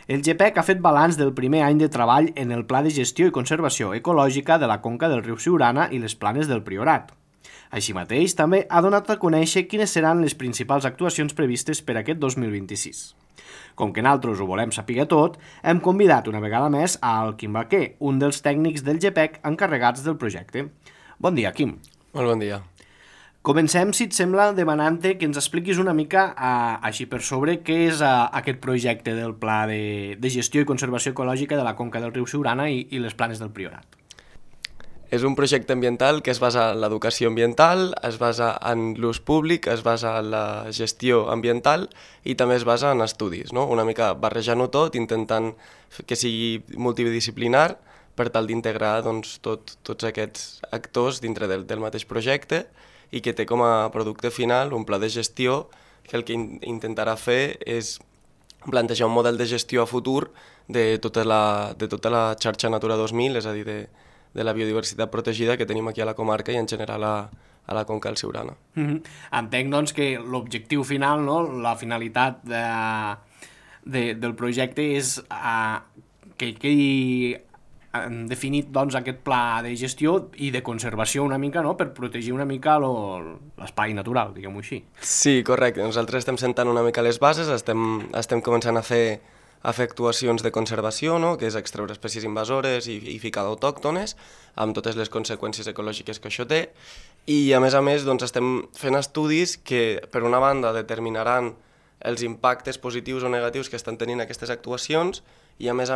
El GPEC ha fet balanç del primer any de treball en el Pla de Gestió i Conservació Ecològica de la conca del riu Siurana i les Planes del Priorat. Així mateix, també ha donat a conèixer quines seran les principals actuacions previstes per aquest 2026. Com que nosaltres ho volem saber tot, hem convidat una vegada més al Quim Baquer, un dels tècnics del GPEC encarregats del projecte. Bon dia, Quim. Molt bon dia. Comencem, si et sembla, demanant-te que ens expliquis una mica, així per sobre, què és aquest projecte del Pla de Gestió i Conservació Ecològica de la conca del riu Siurana i les Planes del Priorat. És un projecte ambiental que es basa en l'educació ambiental, es basa en l'ús públic, es basa en la gestió ambiental i també es basa en estudis, no? Una mica barrejant-ho tot, intentant que sigui multidisciplinar per tal d'integrar doncs, tots aquests actors dintre del mateix projecte i que té com a producte final un pla de gestió que el que intentarà fer és plantejar un model de gestió a futur de tota la xarxa Natura 2000, és a dir, de la biodiversitat protegida que tenim aquí a la comarca i en general a la conca del Siurana. Entenc, doncs, que l'objectiu final, no? La finalitat del projecte és que quedi definit doncs, aquest pla de gestió i de conservació una mica, no? Per protegir una mica l'espai natural, diguem-ho així. Sí, correcte. Nosaltres estem sentant una mica les bases, estem començant a fer actuacions de conservació, no? Que és extreure espècies invasores i ficar d'autòctones, amb totes les conseqüències ecològiques que això té, i a més, doncs, estem fent estudis que, per una banda, determinaran els impactes positius o negatius que estan tenint aquestes actuacions, i a més,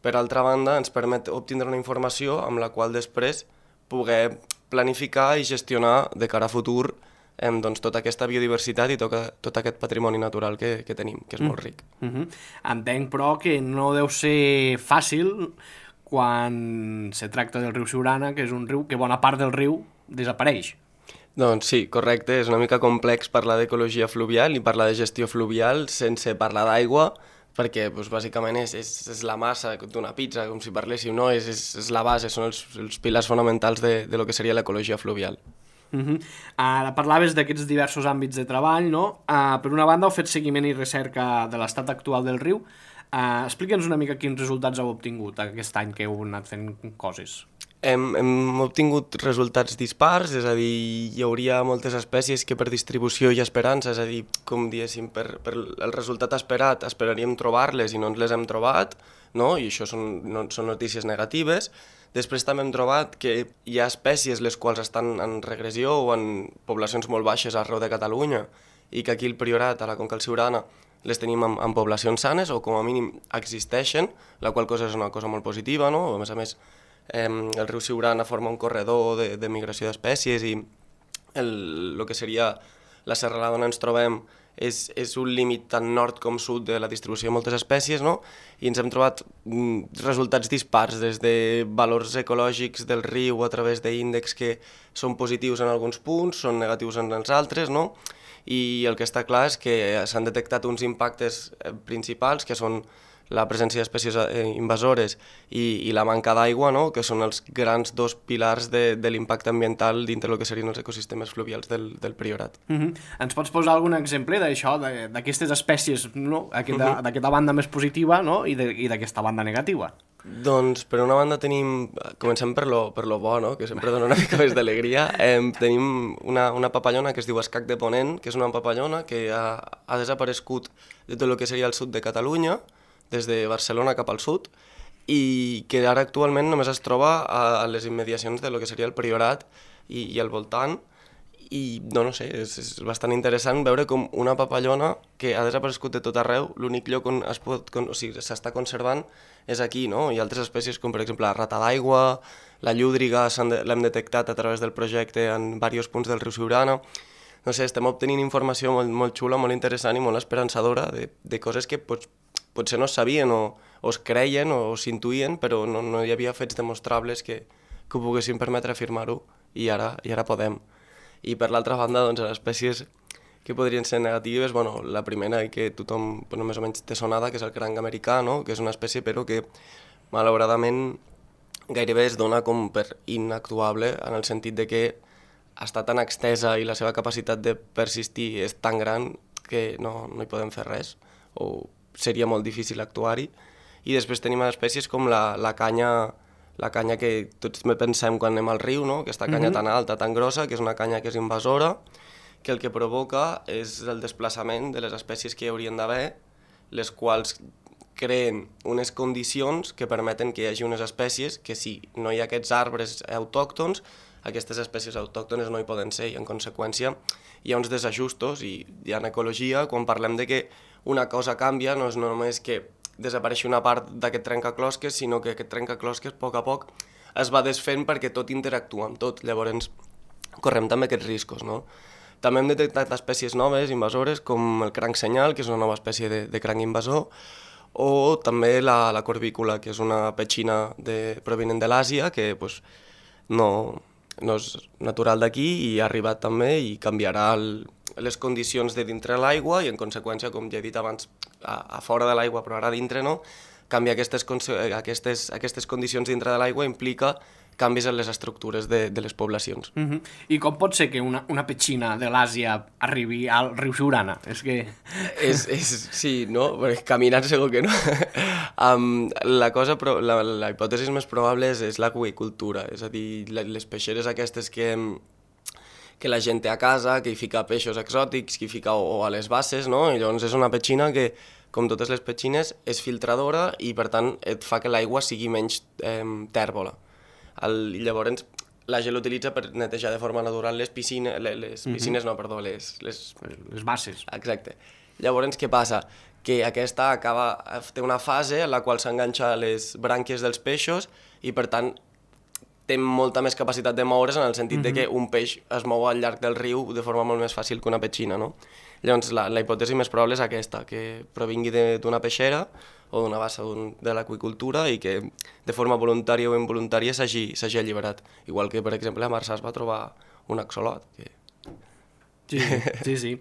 per altra banda, ens permet obtindre una informació amb la qual després poder planificar i gestionar de cara a futur doncs, tota aquesta biodiversitat i tot aquest patrimoni natural que tenim, que és molt ric. Entenc, però, que no deu ser fàcil quan se tracta del riu Siurana, que és un riu que bona part del riu desapareix. Doncs sí, correcte, és una mica complex parlar d'ecologia fluvial i parlar de gestió fluvial sense parlar d'aigua, perquè doncs, bàsicament és la massa d'una pizza, com si parléssim, no? És la base, són els pilars fonamentals de lo que seria l'ecologia fluvial. Ara parlaves d'aquests diversos àmbits de treball, no? Per una banda, heu fet seguiment i recerca de l'estat actual del riu. Explica'ns una mica quins resultats heu obtingut aquest any que heu anat fent coses. Hem obtingut resultats dispars, és a dir, hi hauria moltes espècies que per distribució hi ha esperança, és a dir, com diguéssim, per el resultat esperat esperaríem trobar-les i no ens les hem trobat, no? I això són notícies negatives. Després també hem trobat que hi ha espècies les quals estan en regressió o en poblacions molt baixes arreu de Catalunya i que aquí al Priorat, a la conca del Siurana, les tenim en poblacions sanes o com a mínim existeixen, la qual cosa és una cosa molt positiva, no? A més, el riu Siurana forma un corredor de migració d'espècies i el que seria la serralada on ens trobem és un límit tant nord com sud de la distribució de moltes espècies, no? I ens hem trobat resultats dispars, des de valors ecològics del riu a través d'índexs que són positius en alguns punts, són negatius en els altres, no? I el que està clar és que s'han detectat uns impactes principals, que són la presència d'espècies invasores i la manca d'aigua, no? Que són els grans dos pilars de l'impacte ambiental dintre del que serien els ecosistemes fluvials del Priorat. Ens pots posar algun exemple d'això, d'aquestes espècies, no? D'aquesta banda més positiva, no? I d'aquesta banda negativa? Doncs per una banda comencem per lo bo, no? Que sempre dona una mica més d'alegria. Tenim una papallona que es diu escac de Ponent, que és una papallona que ha desaparegut de tot el que seria el sud de Catalunya, des de Barcelona cap al sud, i que ara actualment només es troba a les immediacions de lo que seria el Priorat i al voltant, i no sé, és bastant interessant veure com una papallona que ha desaparegut de tot arreu, l'únic lloc on s'està conservant és aquí, no? Hi ha altres espècies com per exemple la rata d'aigua, la llúdriga, l'hem detectat a través del projecte en diversos punts del riu Siurana. No sé, estem obtenint informació molt xula, molt interessant i molt esperançadora de coses que potser no es sabien o es creien o s'intuïen, però no hi havia fets demostrables que ho poguessin permetre afirmar-ho i ara podem. I per l'altra banda, doncs, les espècies que podrien ser negatives, la primera i que tothom més o menys té sonada, que és el cranc americà, no? Que és una espècie però que malauradament gairebé es dona com per inactuable en el sentit de que està tan extesa i la seva capacitat de persistir és tan gran que no hi podem fer res, o seria molt difícil actuar-hi. I després tenim espècies com la canya que tots pensem quan anem al riu, no? Aquesta canya tan alta, tan grossa, que és una canya que és invasora, que el que provoca és el desplaçament de les espècies que hi haurien d'haver, les quals creen unes condicions que permeten que hi hagi unes espècies que si no hi ha aquests arbres autòctons, aquestes espècies autòctones no hi poden ser i en conseqüència hi ha uns desajustos i en ecologia quan parlem de que una cosa canvia no és només que desapareixi una part d'aquest trencaclosques, sinó que aquest trencaclosques a poc es va desfent perquè tot interactua amb tot, llavors correm també aquests riscos, no? També hem detectat espècies noves, invasores, com el cranc senyal, que és una nova espècie de cranc invasor, o també la corvícula, que és una petxina provinent de l'Àsia, que pues, no és natural d'aquí i ha arribat també i canviarà les condicions de dintre l'aigua i en conseqüència, com ja he dit abans, a fora de l'aigua però ara dintre no, canviar aquestes condicions dintre de l'aigua implica canvis en les estructures de les poblacions. I com pot ser que una petxina de l'Àsia arribi al riu Siurana? És que... Sí, no? Perquè caminant segur que no. La hipòtesi més probable és l'aqüicultura, és a dir, les peixeres aquestes que la gent té a casa, que hi fica peixos exòtics, que hi fica o a les basses, no? I llavors és una petxina que, com totes les petxines, és filtradora i per tant et fa que l'aigua sigui menys tèrbola. Llavors la gent l'utilitza per netejar de forma natural les piscines, les basses. Exacte. Llavors què passa? Que aquesta té una fase en la qual s'enganxa les brànquies dels peixos i per tant té molta més capacitat de moure's en el sentit de que un peix es mou al llarg del riu de forma molt més fàcil que una petxina, no? Llavors la hipòtesi més probable és aquesta, que provingui d'una peixera o d'una bassa de l'aqüicultura i que de forma voluntària o involuntària s'hagi alliberat. Igual que, per exemple, a Marçà es va trobar un axolot. Sí.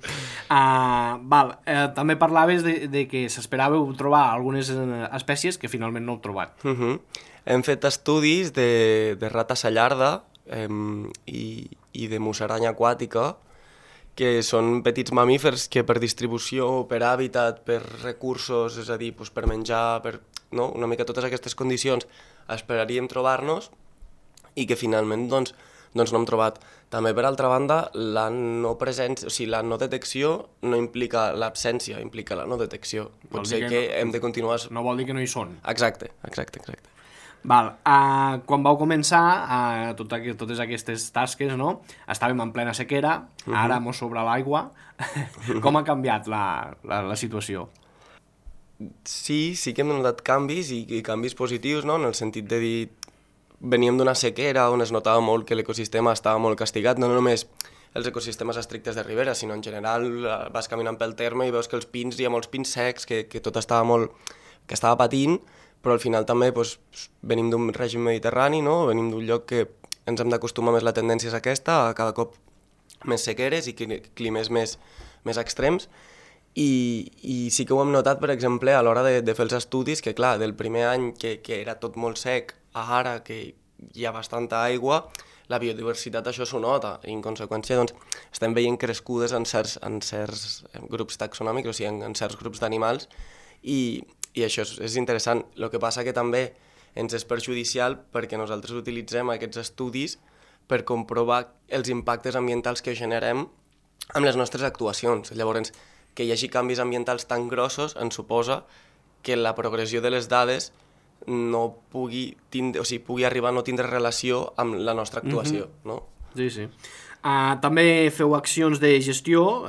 També parlaves de que s'esperàveu trobar algunes espècies que finalment no heu trobat. Hem fet estudis de rata sallarda i de musaranya aquàtica, que són petits mamífers que per distribució, per hàbitat, per recursos, és a dir, per menjar, una mica totes aquestes condicions esperaríem trobar-nos i que finalment doncs no hem trobat. També, per altra banda, la no detecció no implica l'absència, implica la no detecció. Pot ser que hem de continuar... No vol dir que no hi són. Exacte. Quan vau començar totes aquestes tasques, no? Estàvem en plena sequera, ara mos sobra l'aigua. Com ha canviat la situació? Sí que hem notat canvis i canvis positius, no? En el sentit de dir, veníem d'una sequera on es notava molt que l'ecosistema estava molt castigat, no només els ecosistemes estrictes de ribera, sinó en general vas caminant pel terme i veus que hi ha molts pins secs, que tot que estava patint, però al final també venim d'un règim mediterrani, no? Venim d'un lloc que ens hem d'acostumar més, la tendència és aquesta, a cada cop més sequeres i climes més extrems, i sí que ho hem notat, per exemple, a l'hora de fer els estudis, que clar, del primer any que era tot molt sec, a ara que hi ha bastanta aigua, la biodiversitat això s'ho nota, i en conseqüència doncs, estem veient crescudes en certs grups taxonòmics, o sigui, en certs grups d'animals, i això és interessant. El que passa que també ens és perjudicial perquè nosaltres utilitzem aquests estudis per comprovar els impactes ambientals que generem amb les nostres actuacions. Llavors, que hi hagi canvis ambientals tan grossos ens suposa que la progressió de les dades no pugui arribar a no tindre relació amb la nostra actuació. No? Sí. També feu accions de gestió,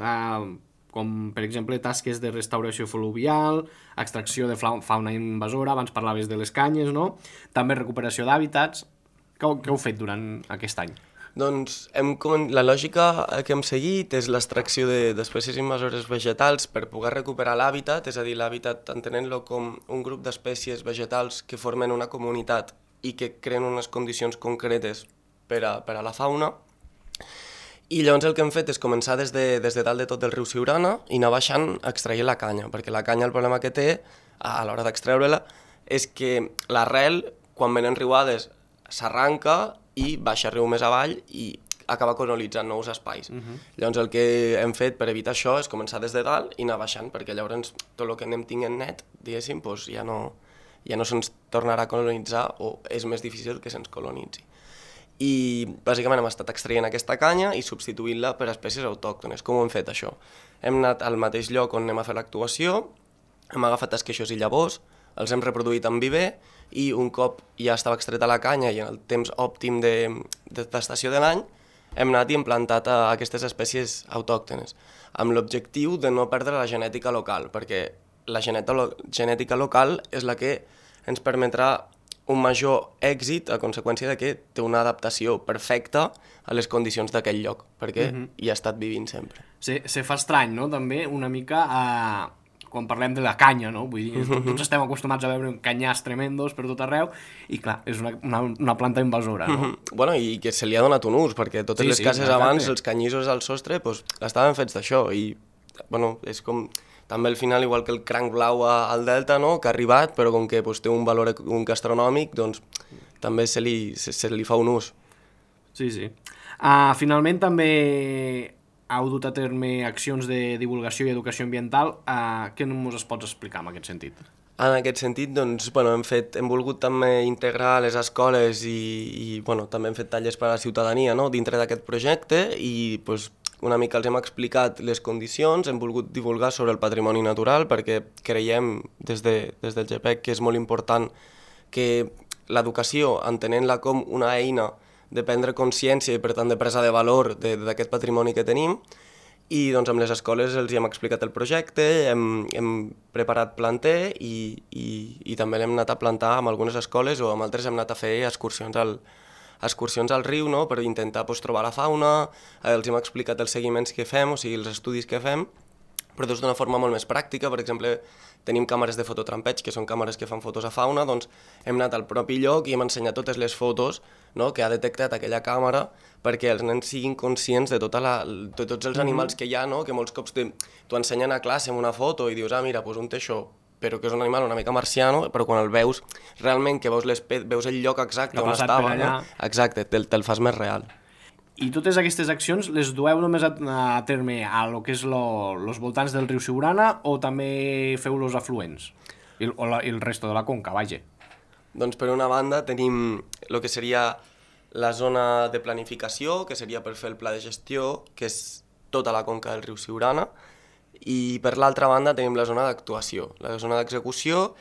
com per exemple tasques de restauració fluvial, extracció de fauna invasora, abans parlaves de les canyes, no? També recuperació d'hàbitats. Què heu fet durant aquest any? Doncs la lògica que hem seguit és l'extracció d'espècies invasores vegetals per poder recuperar l'hàbitat, és a dir, l'hàbitat entenent-lo com un grup d'espècies vegetals que formen una comunitat i que creen unes condicions concretes per a la fauna. I llavors el que hem fet és començar des de dalt de tot del riu Siurana i anar baixant extraient la canya, perquè la canya el problema que té a l'hora d'extreure-la és que l'arrel, quan venen riuades, s'arranca i baixa riu més avall i acaba colonitzant nous espais. Llavors el que hem fet per evitar això és començar des de dalt i anar baixant, perquè llavors tot el que anem tinguent net, diguéssim, doncs ja no se'ns tornarà a colonitzar o és més difícil que se'ns colonitzi. I bàsicament hem estat extraient aquesta canya i substituint-la per espècies autòctones. Com ho hem fet això? Hem anat al mateix lloc on anem a fer l'actuació, hem agafat esqueixos i llavors, els hem reproduït en viver i un cop ja estava extreta la canya i en el temps òptim d'estació de l'any, hem anat i implantat a aquestes espècies autòctones, amb l'objectiu de no perdre la genètica local, perquè la genètica local és la que ens permetrà un major èxit a conseqüència de que té una adaptació perfecta a les condicions d'aquell lloc, perquè hi ha estat vivint sempre. Se fa estrany, no?, també, una mica quan parlem de la canya, no? Vull dir, tots estem acostumats a veure canyars tremendos per tot arreu i, clar, és una planta invasora, no? Bueno, i que se li ha donat un ús, perquè totes les cases abans, els canyissos al sostre, estaven fets d'això i, bueno, és com... També al final, igual que el cranc blau al Delta, no?, que ha arribat, però com que té un valor gastronòmic, doncs també se li fa un ús. Sí. Finalment també heu dut a terme accions de divulgació i educació ambiental. Què ens pots explicar en aquest sentit? En aquest sentit, doncs, bueno, hem volgut també integrar les escoles i bueno, també hem fet tallers per a la ciutadania, no?, dintre d'aquest projecte i doncs, una mica els hem explicat les condicions, hem volgut divulgar sobre el patrimoni natural perquè creiem des del GPEC que és molt important que l'educació, entenent-la com una eina de prendre consciència i per tant de presa de valor d'aquest patrimoni que tenim, i doncs amb les escoles els hem explicat el projecte, hem preparat planter i també l'hem anat a plantar amb algunes escoles o amb altres hem anat a fer excursions al riu, no?, per intentar trobar la fauna, els hem explicat els seguiments que fem, o sigui, els estudis que fem, però d'una forma molt més pràctica. Per exemple, tenim càmeres de fototrampeig, que són càmeres que fan fotos a fauna, doncs hem anat al propi lloc i hem ensenyat totes les fotos, no?, que ha detectat aquella càmera perquè els nens siguin conscients de tots els animals que hi ha, no?, que molts cops t'ho ensenyen a classe amb una foto i dius, mira, doncs un té això, però que és un animal una mica marciano, però quan el veus realment, que veus el lloc exacte on estava, no? Exacte, te'l fas més real. I totes aquestes accions les dueu només a terme a lo que és los voltants del riu Siurana o també feu los afluents? I el resto de la conca, vaja. Doncs per una banda tenim el que seria la zona de planificació, que seria per fer el pla de gestió, que és tota la conca del riu Siurana, i per l'altra banda tenim la zona d'actuació. La zona d'execució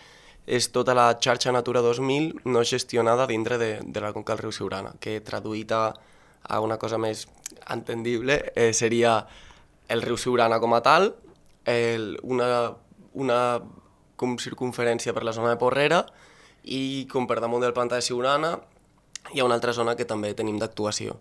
és tota la xarxa Natura 2000 no gestionada dintre de la conca del riu Siurana, que traduït a una cosa més entendible seria el riu Siurana com a tal, una com circunferència per la zona de Porrera i com per damunt del pantà de Siurana hi ha una altra zona que també tenim d'actuació.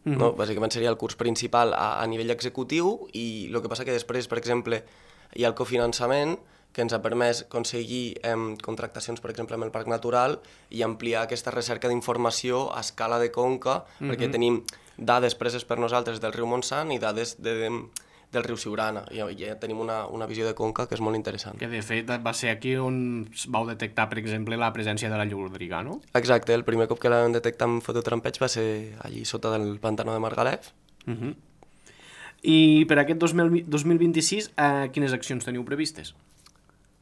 No? Bàsicament seria el curs principal a nivell executiu i el que passa que després, per exemple, hi ha el cofinançament que ens ha permès aconseguir contractacions, per exemple, amb el Parc Natural i ampliar aquesta recerca d'informació a escala de conca, perquè tenim dades preses per nosaltres del riu Montsant i dades del riu Siurana. I ja tenim una visió de conca que és molt interessant. Que de fet va ser aquí on vau detectar, per exemple, la presència de la llúdriga, no? Exacte, el primer cop que la vam detectar amb fototrampeig va ser allí sota del pantano de Margalef. I per aquest 2026, quines accions teniu previstes?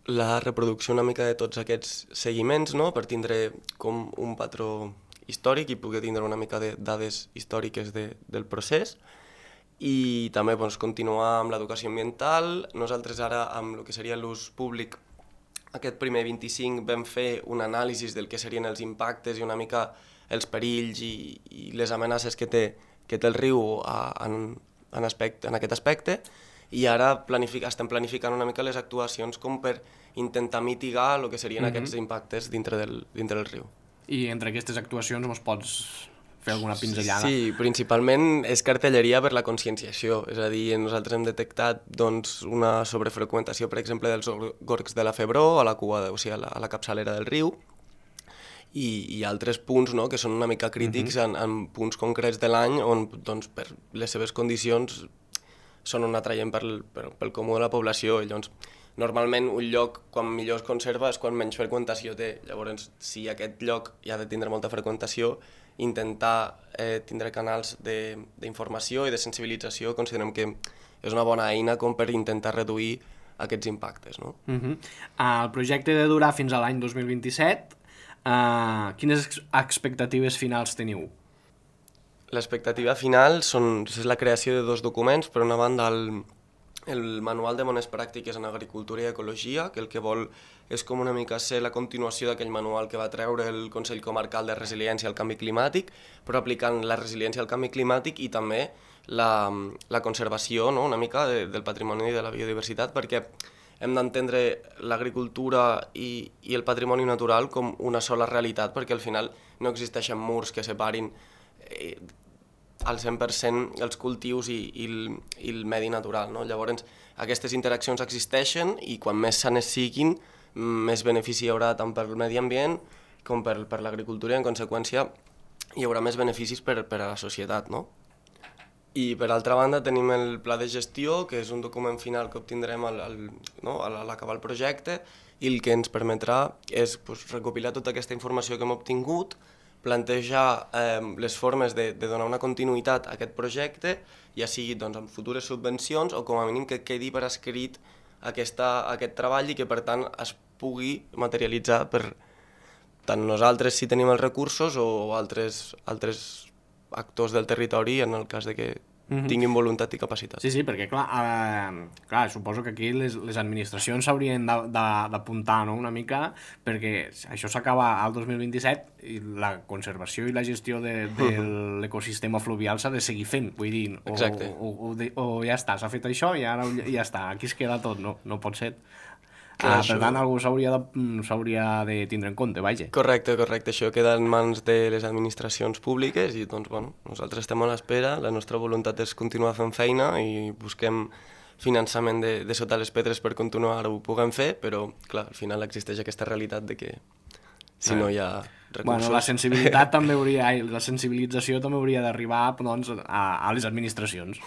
La reproducció una mica de tots aquests seguiments, no?, per tindre com un patró històric i poder tindre una mica de dades històriques del procés. I també continuar amb l'educació ambiental. Nosaltres ara, amb el que seria l'ús públic, aquest primer 25 vam fer un anàlisi del que serien els impactes i una mica els perills i les amenaces que té el riu en aquest aspecte, i ara estem planificant una mica les actuacions com per intentar mitigar el que serien aquests impactes dintre del riu. I entre aquestes actuacions ens pots fer alguna pinzellada? Sí, principalment és cartelleria per la conscienciació, és a dir, nosaltres hem detectat una sobrefreqüentació, per exemple, dels gorgs de la Febró a la cua, o sigui, a la capçalera del riu, i altres punts, no?, que són una mica crítics en punts concrets de l'any on, doncs, per les seves condicions són un atraient pel comú de la població. I llavors, normalment un lloc, quan millor es conserva, és quan menys freqüentació té. Llavors, si aquest lloc ja ha de tindre molta freqüentació, intentar tindre canals d'informació i de sensibilització considerem que és una bona eina com per intentar reduir aquests impactes, no? El projecte de durar fins a l'any 2027. Quines expectatives finals teniu? L'expectativa final és la creació de 2 documents. Per una banda, el Manual de Bones Pràctiques en Agricultura i Ecologia, que el que vol és com una mica ser la continuació d'aquell manual que va treure el Consell Comarcal de Resiliència al Canvi Climàtic, però aplicant la resiliència al canvi climàtic i també la conservació, no?, una mica del patrimoni i de la biodiversitat, perquè hem d'entendre l'agricultura i el patrimoni natural com una sola realitat, perquè al final no existeixen murs que separin al 100% els cultius i el medi natural, no? Llavors, aquestes interaccions existeixen i quan més sanes siguin, més benefici hi haurà tant per al medi ambient com per l'agricultura i, en conseqüència, hi haurà més beneficis per a la societat, no? I, per altra banda, tenim el pla de gestió, que és un document final que obtindrem a l'acabar el projecte i el que ens permetrà és recopilar tota aquesta informació que hem obtingut, plantejar les formes de donar una continuïtat a aquest projecte, ja sigui amb futures subvencions o com a mínim que quedi per escrit aquest treball i que per tant es pugui materialitzar per tant nosaltres si tenim els recursos o altres actors del territori en el cas de que tinguin voluntat i capacitat. Sí, perquè clar, suposo que aquí les administracions s'haurien d'apuntar, no?, una mica, perquè això s'acaba al 2027 i la conservació i la gestió de l'ecosistema fluvial s'ha de seguir fent, vull dir, o ja està, s'ha fet això i ara ja està, aquí es queda tot, no pot ser. Per tant, algú s'hauria de tindre en compte, vaja. Correcte, això queda en mans de les administracions públiques i doncs, nosaltres estem a l'espera, la nostra voluntat és continuar fent feina i busquem finançament de sota les pedres per continuar-ho puguem fer, però, clar, al final existeix aquesta realitat de que si no hi ha recursos... La sensibilització també hauria d'arribar a les administracions.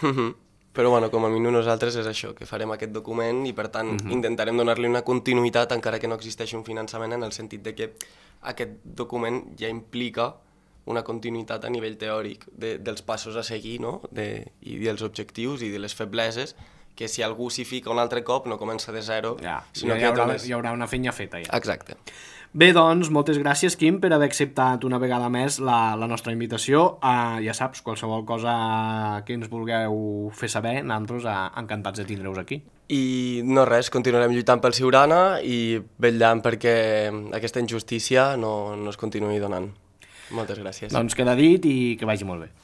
Però, com a mínim nosaltres és això, que farem aquest document i, per tant, intentarem donar-li una continuïtat encara que no existeixi un finançament, en el sentit de que aquest document ja implica una continuïtat a nivell teòric dels passos a seguir, no?, i dels objectius i de les febleses, que si algú s'hi fica un altre cop no comença de zero, sinó que hi haurà una feina feta ja. Exacte. Bé, doncs, moltes gràcies, Quim, per haver acceptat una vegada més la nostra invitació. Ja saps, qualsevol cosa que ens vulgueu fer saber, nosaltres encantats de tindre-us aquí. I no res, continuarem lluitant pel Siurana i vetllant perquè aquesta injustícia no es continuï donant. Moltes gràcies. Doncs queda dit i que vagi molt bé.